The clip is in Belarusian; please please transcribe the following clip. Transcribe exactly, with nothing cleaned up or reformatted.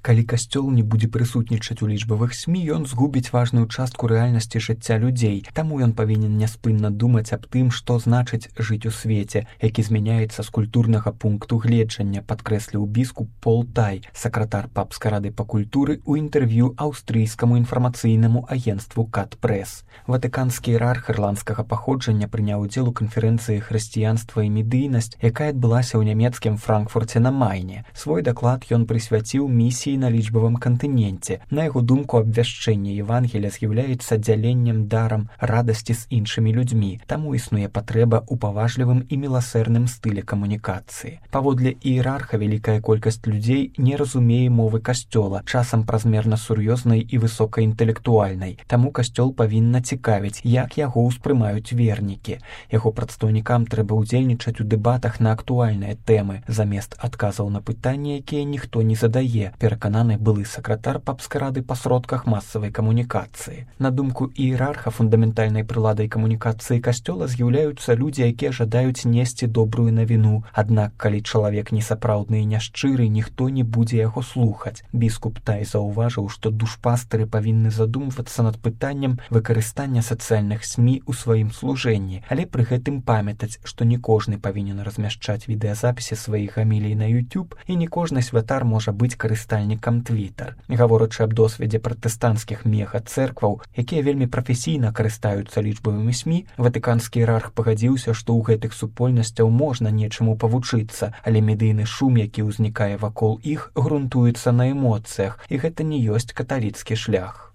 Калі касцёл не будзе прысутнічаць у лічбавых СМІ, ён згубіць важную частку рэальнасці жыцця людзей. Таму ён павінен няспынна думаць аб тым, што значыць жыць у свеце, які змяняецца з культурнага пункту гледжання, падкрэсліў біскуп Пол Тай, сакратар папскай рады па культуры, у інтэрв'ю аўстрыйскаму інфармацыйнаму агенцтву Кат Прэс. Ватыканскі іерарх ірландскага паходжання прыняў удзел у канферэнцыі «Хрысціянства і медыйнасць», якая адбылася ў нямецкім Франкфурце на Майне. Свой даклад ён прысвяціў місіі на лічбавым кантыненце. На яго думку, абвяшчэнне Евангелія з'яўляецца дзяленнем дарам радасці з іншымі людзьмі, таму існуе патрэба ў паважлівым і міласэрным стылі камунікацыі. Паводле іерарха, вялікая колькасць людзей не разумее мовы касцёла, часам празмерна сур'ёзнай і высокаінтэлектуальнай. Таму касцёл павінна цікавіць, як яго ўспрымаюць вернікі. Яго прадстаўнікам трэба ўдзельнічаць у дэбатах на актуальныя тэмы, замест адказаў на пытанні, якія ніхто не задае, перакананы былы сакратар папскай рады па сродках масавай камунікацыі. На думку іерарха, фундаментальнай прыладай камунікацыі касцёла з'яўляюцца людзі, якія жадаюць несці добрую навіну. Аднак, калі чалавек несапраўдны і няшчыры, ніхто не будзе яго слухаць. Біскуп Тай заўважыў, што душпастары павінны задумвацца над пытаннем выкарыстання сацыяльных СМІ ў сваім служэнні, але пры гэтым памятаць, што не кожны павінен размяшчаць відэазапісы сваіх гамілій на YouTube і не кожны святар можа быць карыстальнікам Twitter. Гаворачы аб досведзе пратэстанцкіх мега-цэркваў, якія вельмі прафесійна карыстаюцца лічбавымі СМІ, ватыканскі іерарх пагадзіўся, што ў гэтых супольнасцяў можна нечаму павучыцца, але медыйны шум, які ўзнікае вакол іх, грунтуецца на эмоцыях, і гэта не ёсць каталіцкі шлях.